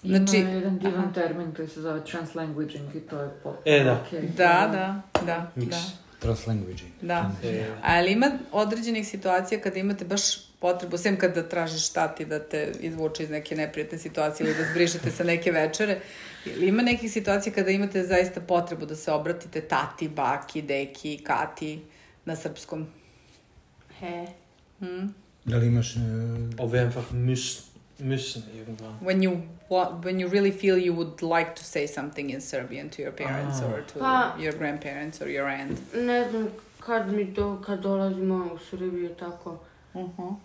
S1: Znači-
S6: Ima jedan divan
S1: aha.
S6: termin koji se zove translanguaging i to je potpuno
S7: E, da.
S6: okej.
S1: Da, da, da,
S7: Mix.
S1: da.
S2: Translanguaging.
S1: Da.
S7: E,
S1: Ali ima određenih situacija kada imate baš potrebu, sem kada tražiš tati da te izvuče iz neke neprijatne situacije ili da zbrišete sa neke večere, ili ima nekih situacija kada imate zaista potrebu da se obratite tati, baki, deki, kati na srpskom?
S5: He.
S1: Hm?
S2: Da li imaš... e,
S7: Of einfach müssen, müssen irgendwann.
S1: When you wa- when you really feel you would like to say something in Serbian to your parents
S7: Ah.
S1: or to
S5: Pa-
S1: your grandparents or your aunt.
S5: Ne znam kad mi do, kad dolazimo u Srbiju tako.
S1: Uh-huh.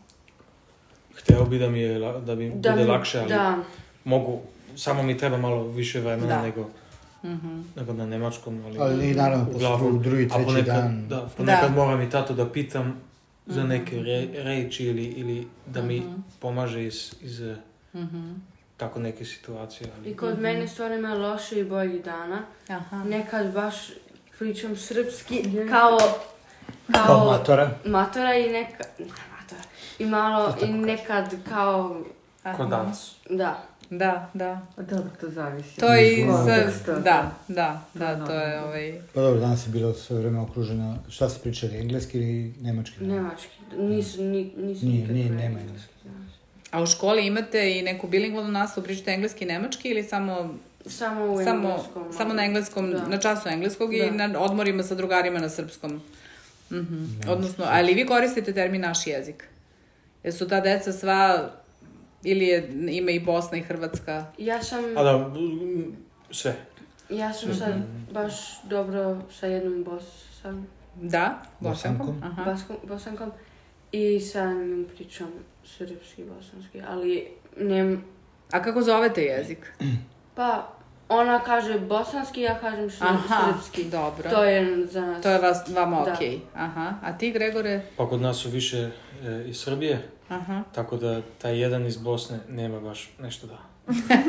S7: Hteo bi da mi je, la- da bi
S5: Da
S7: bude
S5: mi-
S7: lakše, ali
S5: Da,
S7: mogu, samo mi treba malo više vremena
S1: Da.
S7: nego,
S1: Mhm.
S7: nego na nemačkom, ali,
S2: Ali i naravno, posle
S7: uglavnom-
S2: drugi,
S7: a
S2: treći
S7: ponekad,
S2: dan.
S7: Da, ponekad
S1: Da.
S7: moram i tato da pitam za
S1: Mhm.
S7: neke re, reči ili, ili da mi
S1: Mhm.
S7: pomaže iz, iz eh,
S1: Mhm.
S7: tako neke situacije. Ali,
S5: i kod mene stvarno ima loše i bolji dana.
S1: Aha.
S5: Nekad baš pričam srpski kao, kao,
S2: Kao matora.
S5: matora i nekad, ne matora, i malo, i nekad kao,
S1: Aha.
S7: ko danas.
S5: da.
S1: Da, da.
S6: A dobro, to zavisi.
S1: To je i
S2: Iz
S1: sa...
S6: konteksta.
S1: Da, da,
S6: To
S1: da,
S6: je
S1: to je
S6: normalno.
S1: ovaj...
S2: Pa dobro, danas je bilo sve vreme okruženo. Šta ste pričali, engleski ili nemački?
S5: Nemački, nisam, ni, nisam
S2: Nije,
S5: nikad
S2: nije,
S5: čula
S2: nema
S5: engleski, da.
S1: A u školi imate i neku bilingvalnu nastavu, pričate engleski i nemački ili samo,
S5: Samo u
S1: samo,
S5: engleskom.
S1: samo na engleskom,
S5: Da.
S1: na času engleskog i
S5: Da.
S1: na odmorima sa drugarima na srpskom? Mhm.
S2: Ne,
S1: Odnosno, ali vi koristite termin naš jezik? Jesu ta deca sva, ili je, ima i Bosna i Hrvatska?
S5: Ja sam,
S7: A da, mm, sve.
S5: ja sam sad baš dobro sa jednom bosan,
S1: Da, bosankom?
S2: Bosankom?
S1: Aha.
S5: baskom, bosankom i sa njim pričam srpski, bosanski, ali nem,
S1: A kako zovete jezik?
S5: pa ona kaže bosanski, ja kažem š-
S1: Aha,
S5: srpski.
S1: dobro.
S5: To je za nas.
S1: To je vas, vama
S5: Da.
S1: okej. Aha. A ti, Gregore?
S7: Pa kod nas su više e, iz Srbije,
S1: Aha.
S7: tako da taj jedan iz Bosne nema baš nešto da...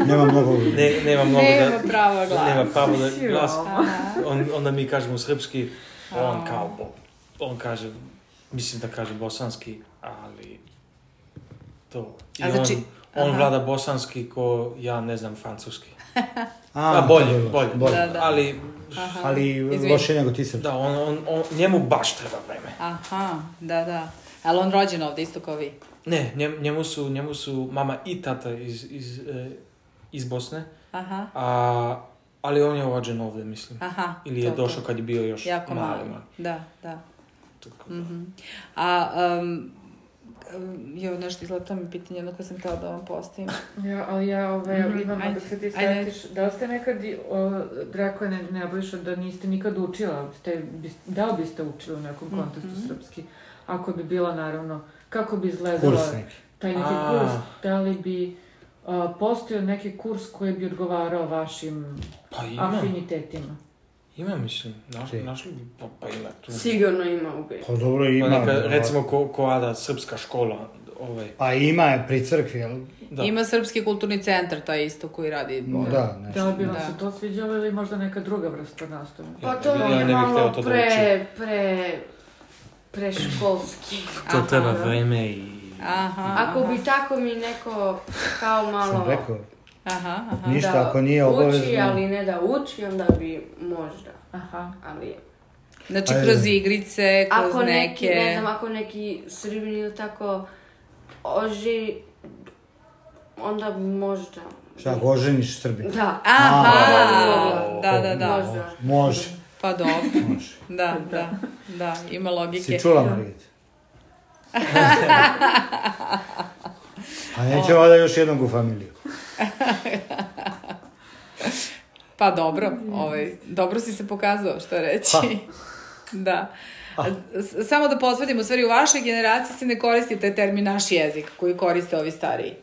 S2: Nema mnogo...
S7: Ne, nema mnogo
S1: Nema
S7: da...
S1: pravo glasa.
S7: Nema pravo da glas.
S6: Siroma.
S7: On, onda mi kažemo srpski, on
S1: A.
S7: kao, bo, on kaže, mislim da kaže bosanski, ali to. I
S1: A znači-
S7: on, on
S1: aha.
S7: vlada bosanski ko ja ne znam francuski.
S2: A,
S7: A, bolje,
S2: dobro,
S7: bolje.
S1: Da, da.
S7: Ali,
S1: Aha.
S2: Ali
S1: Izvini.
S2: loše nego ti srpski.
S7: da, on, on, on, njemu baš treba vreme.
S1: Aha, da, da. Ali on rođen ovde, isto kao vi?
S7: Ne, njem, njemu, su, njemu su mama i tata iz, iz, e, iz Bosne,
S1: Aha,
S7: a, ali on je rođen ovde, mislim.
S1: aha.
S7: Ili je
S1: to, to.
S7: došao kad je bio još
S1: Jako
S7: mali.
S1: malo.
S7: mali.
S1: Da, da.
S7: Tako da.
S1: Mhm. A, um, jo, nešto izgleda, to mi je pitanje, jedno koje sam htjela da vam postavim.
S6: Ja, ali ja ove,
S1: Mhm,
S6: imam,
S1: ajde,
S6: dok se ti
S1: ajde.
S6: setiš, da li ste nekad, i, o, Drako je ne, Nebojša, da niste nikad učila, ste, bis, da li biste učili u nekom kontekstu
S1: Mhm.
S6: srpski? Ako bi bila, naravno, kako bi izgledala
S2: Kurs neki.
S6: taj neki
S7: A.
S6: kurs, da li bi a, postojao neki kurs koji bi odgovarao vašim
S7: Pa imam,
S6: afinitetima?
S7: Ima, mislim, naš,
S2: Si.
S7: našli bi, pa, pa ima tu.
S5: Sigurno ima u Beogradu.
S2: Pa dobro
S7: Pa
S2: ima.
S7: neka,
S2: da,
S7: recimo, ko, ko Ada, srpska škola, ovaj.
S2: Pa ima je pri crkvi, ali...
S7: Da.
S1: Ima Srpski kulturni centar, taj isto koji radi.
S2: Da, nešto.
S6: Da li bi vam
S1: Da.
S6: se to sviđalo ili možda neka druga vrsta nastave?
S5: Pa to
S7: Ja
S5: mi je
S7: ne bih hteo
S5: malo
S7: to da
S5: pre, pre, preškolski.
S7: To
S1: Aha.
S7: treba vreme i...
S1: Aha,
S5: Ako
S1: aha.
S5: bi tako mi neko kao malo...
S2: Sam rekao,
S1: Aha, aha.
S2: ništa
S5: da
S2: ako nije obavezno.
S5: uči, ali ne da uči, onda bi možda.
S6: Aha.
S5: Ali
S1: Znači,
S2: Ajde.
S1: kroz igrice, kroz
S5: ako neki,
S1: neke...
S5: ne znam, ako neki Srbin ili tako oži, onda možda.
S2: Šta, ako oženiš Srbin?
S5: Da.
S1: Aha,
S2: A,
S1: da, da, da.
S5: Možda.
S2: Može,
S1: Pa dobro,
S2: može.
S1: da, da, da, ima logike.
S2: Si čula, Margit? A nećemo da još jednog u familiju.
S1: Pa dobro, ovaj, dobro si se pokazao, što reći. Da. S- Samo da potvrdim, u stvari u vašoj generaciji se ne koristi taj termin naš jezik koji koriste ovi stariji.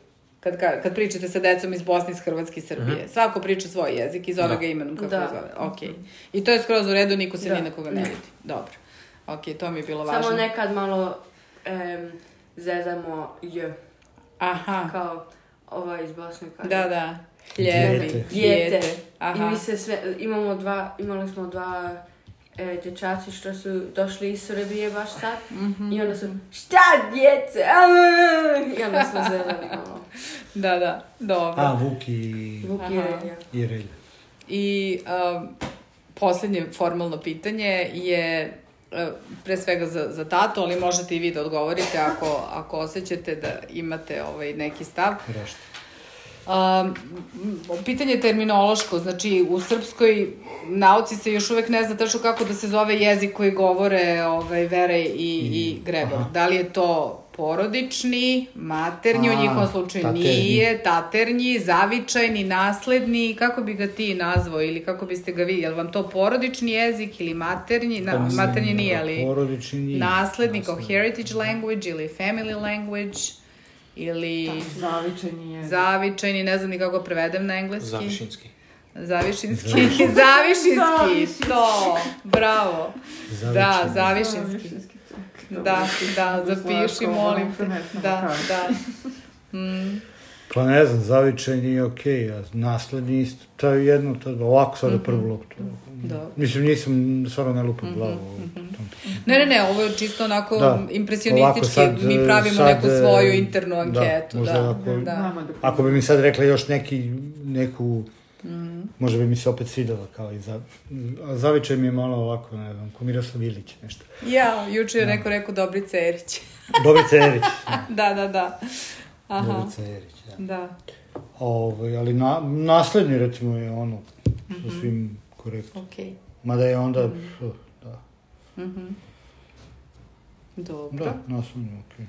S1: Kad, kad, kad pričate sa decom iz Bosne, iz Hrvatske i Srbije. Svako priča svoj jezik i zove
S7: Da.
S1: ga imenom kako
S5: Da.
S1: ga zove. Ok. I to je skroz u redu, niko se
S6: Da.
S1: ni na koga ne vidi. Dobro. Ok, to mi je bilo važno.
S5: Samo nekad malo em, zezamo j,
S1: Aha,
S5: kao ova iz Bosne kaže.
S1: da, da. Hljebi,
S2: Dijete.
S5: Dijete. I
S1: Aha.
S5: mi se sve, imamo dva, imali smo dva e, dječaci što su došli iz Srbije baš sad. I onda su, šta djece? I onda smo zezali malo.
S1: Da, da, dobro.
S2: A, Vuk i,
S5: Vuk
S1: Aha.
S5: i Relja.
S2: i Relja.
S1: I um, posljednje formalno pitanje je uh, pre svega za, za tatu, ali možete i vi da odgovorite ako, ako osjećate da imate ovaj neki stav.
S2: Rešta.
S1: Um, pitanje je terminološko, znači u srpskoj nauci se još uvek ne zna tačno kako da se zove jezik koji govore ovaj, Vere i, i Gregor.
S2: aha.
S1: Da li je to porodični, maternji, u
S2: A,
S1: njihovom slučaju
S2: taternji.
S1: nije, taternji, zavičajni, nasledni, kako bi ga ti nazvao ili kako biste ga vi, je li vam to porodični jezik ili maternji, na,
S2: Pa mislim,
S1: maternji nije, ali
S2: porodični nije.
S1: nasledni kao
S2: Nasledni.
S1: heritage language ili family language ili
S6: Zavičajni je.
S1: zavičajni, ne znam ni kako prevedem na engleski.
S7: Zavišinski.
S1: Zavišinski. Zavišinski, to, bravo. Da,
S2: Zavičajni.
S1: zavišinski. Da, da, zapiši, molim te. Da, da. Mm,
S2: Pa ne znam, zavičajni je okej, a nasledni isto. To je jedno, to je ovako sada prvu loptu.
S1: Dobro.
S2: Mislim, nisam, stvarno ne lupam glavu. u tom pitanju.
S1: Ne, ne, ne, ovo je čisto onako
S2: Da.
S1: impresionistički,
S2: Ovako sad,
S1: mi pravimo
S2: sad,
S1: neku svoju internu anketu.
S2: Da, možda
S1: Da,
S2: ako,
S1: da.
S6: Nama da
S2: ako bi mi sad rekla još neki, neku,
S1: Mhm.
S2: možda bi mi se opet svidela kao i za... A zavičaj mi je malo ovako, ne znam, ko Miroslav Ilić, nešto.
S1: Ja, juče je neko rekao Dobrica Erić.
S2: Dobrica Erić.
S1: Da, da, da. Aha,
S2: Dobrica Erić, da.
S1: da.
S2: Ovaj, ali na, naslednji, recimo, je ono, sa svim korektno.
S1: Okej.
S2: Mada je onda, uh, da.
S1: Mhm. Dobro.
S2: Da, naslednji, okej.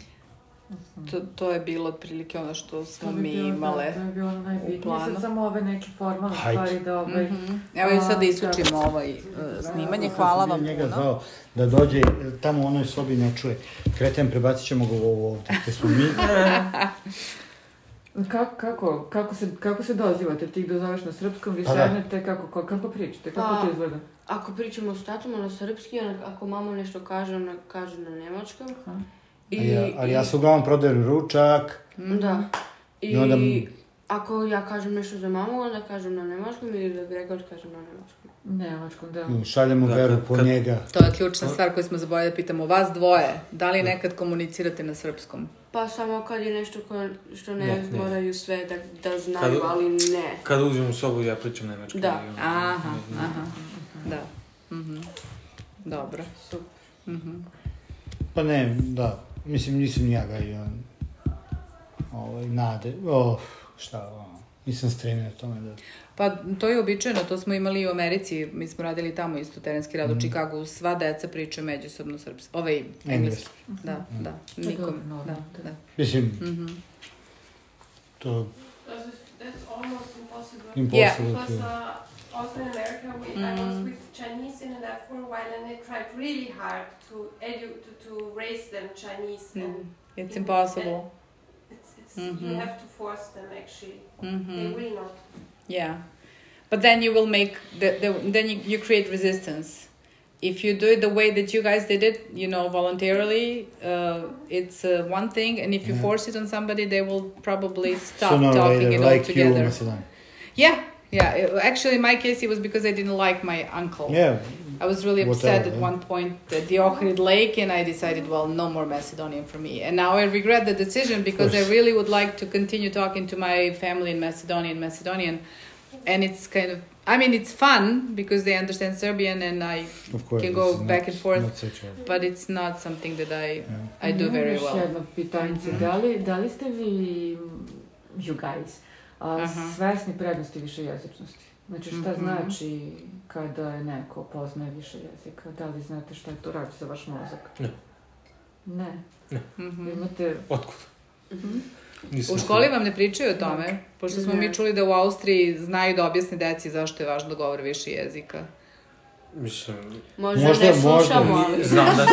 S1: To, to je bilo otprilike ono što smo
S6: To bi
S1: mi
S6: bilo,
S1: imale.
S6: Da, to je bilo
S1: u
S6: najbitnije.
S1: planu.
S6: Sad samo ove neke formalne
S2: Hajde.
S6: stvari da ovaj...
S1: Mhm. Evo i sad da isključimo ovaj uh, snimanje. Hvala vam
S2: njega
S1: puno.
S2: zvao da dođe, tamo u onoj sobi ne čuje. Kreten, prebacit ćemo ga u ovo ovdje, gde smo mi.
S6: Kako, kako, kako, se, kako se dozivate? Ti ih dozoveš na srpskom, vi
S2: Pa da.
S6: sednete, kako, kako, kako pričate? Kako
S5: Pa,
S6: to izgleda?
S5: Ako pričamo s tatom na srpski, ona, ako mama nešto kaže, ona kaže na nemačkom.
S6: Aha.
S5: I,
S2: A ja, ali ja
S5: i-
S2: se uglavnom prodajem ručak.
S5: Da. I,
S2: I onda-
S5: ako ja kažem nešto za mamu, onda kažem na nemačkom ili da Gregor kažem na nemačkom.
S6: Nemačkom, da.
S2: Šaljemo
S7: Da,
S2: veru
S7: kad-
S2: po
S7: kad-
S2: njega.
S1: To je ključna stvar koju smo zaboravili da pitamo. Vas dvoje, da li nekad komunicirate na srpskom?
S5: Pa samo kad je nešto ko, što ne,
S7: Ne, ne.
S5: moraju sve da, da znaju,
S7: Kad-
S5: ali ne.
S7: Kad uđem u sobu, ja pričam nemački.
S5: Da.
S7: I ono,
S1: Aha,
S7: ne znam.
S1: aha, da. Mhm. Dobro. Mhm.
S2: Pa ne, da. Mislim, nisam ni ja ga i on. Ovaj, nade. Oh, šta, ono. Nisam stremio tome da...
S1: Pa to je običajno, to smo imali i u Americi, mi smo radili tamo isto terenski rad u Čikagu, sva deca pričaju međusobno srpski, ovaj engleski. Da, da, nikom,
S6: dobro,
S1: da,
S6: normalno,
S1: da.
S2: Mislim,
S1: Mhm.
S2: to...
S3: That's, that's almost impossible.
S2: Impossible
S3: Because
S2: to...
S3: uh, also in America, we, I was with Chinese in lab for a while, and they tried really hard to edu to, to raise them Chinese, and
S1: It's impossible.
S3: it's, it's
S1: Mhm.
S3: you have to force them actually.
S1: Mhm.
S3: They will not.
S1: Yeah. But then you will make, the, the, then you, you create resistance. If you do it the way that you guys did it, you know, voluntarily, uh, it's uh, one thing. And if you yeah. force it on somebody, they will probably stop
S2: so no,
S1: talking it
S2: like
S1: all together.
S2: You, Macedonia.
S1: Yeah, yeah. It, actually, in my case, it was because I didn't like my uncle.
S2: Yeah.
S1: I was really upset
S2: Whatever,
S1: at
S2: yeah.
S1: one point at the Ohrid Lake, and I decided, well, no more Macedonian for me. And now I regret the decision because I really would like to continue talking to my family in Macedonian, Macedonian. And it's kind of, I mean, it's fun because they understand Serbian and I
S2: course,
S1: can go
S2: not,
S1: back and forth,
S2: a...
S1: but it's not something that I
S2: yeah.
S1: I do very
S6: Još
S1: well.
S6: jedno pitanjice, da li, da li ste vi, you guys, uh, uh-huh. svesni prednosti višejezičnosti? Znači šta mm-hmm. znači kada je neko poznaje više jezika? Da li znate šta je to radi za vaš mozak?
S7: Ne.
S6: Ne?
S7: Ne.
S6: Mm-hmm. Imate...
S7: Otkud?
S6: Mm-hmm.
S1: U školi vam ne pričaju o tome? Pošto smo ne. mi čuli da u Austriji znaju da objasne deci zašto je važno da govore više jezika.
S7: Mislim...
S5: Možda, možda ne slušamo, ali...
S7: Znam da,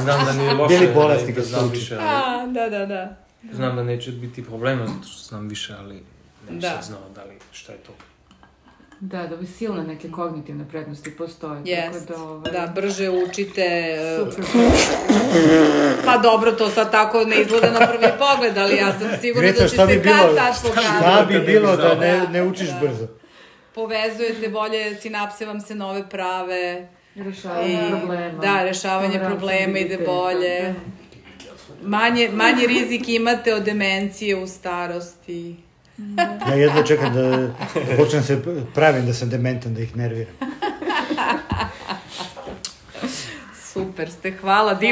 S7: znam da nije loše.
S2: Bili bolesni
S7: da znam više, ali...
S1: A, da, da, da.
S7: Znam da neće biti problema zato što znam više, ali ne sad znao da li šta je to.
S6: Da, da bi silne neke kognitivne prednosti postoje.
S1: Yes.
S6: Tako da, ovaj...
S1: da, brže učite.
S6: Super.
S1: Pa dobro, to sad tako ne izgleda na prvi pogled, ali ja sam sigurna
S2: Greca,
S1: da će se
S2: bi
S1: kad tad pokazati.
S2: Šta bi bilo da ne, ne učiš
S1: da.
S2: brzo?
S1: Povezujete bolje, sinapse vam se nove prave.
S6: Rešavanje I, problema.
S1: Da, rešavanje problema ide bolje. Manje, manje rizik imate od demencije u starosti.
S2: Ja jedva čekam da počnem se pravim da sam dementan, da ih nerviram.
S1: Super ste, hvala, divno.